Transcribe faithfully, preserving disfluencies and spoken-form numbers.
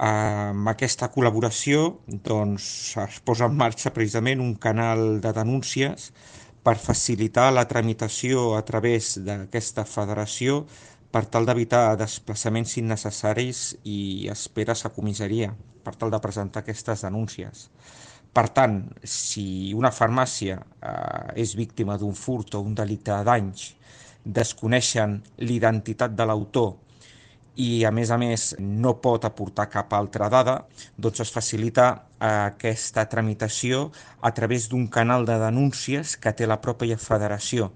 Amb aquesta col·laboració doncs, es posa en marxa precisament un canal de denúncies per facilitar la tramitació a través d'aquesta federació per tal d'evitar desplaçaments innecessaris i esperes a comissaria per tal de presentar aquestes denúncies. Per tant, si una farmàcia eh, és víctima d'un furt o un delicte de danys, desconeixen l'identitat de l'autor i a més a més no pot aportar cap altra dada, doncs es facilita eh, aquesta tramitació a través d'un canal de denúncies que té la pròpia federació.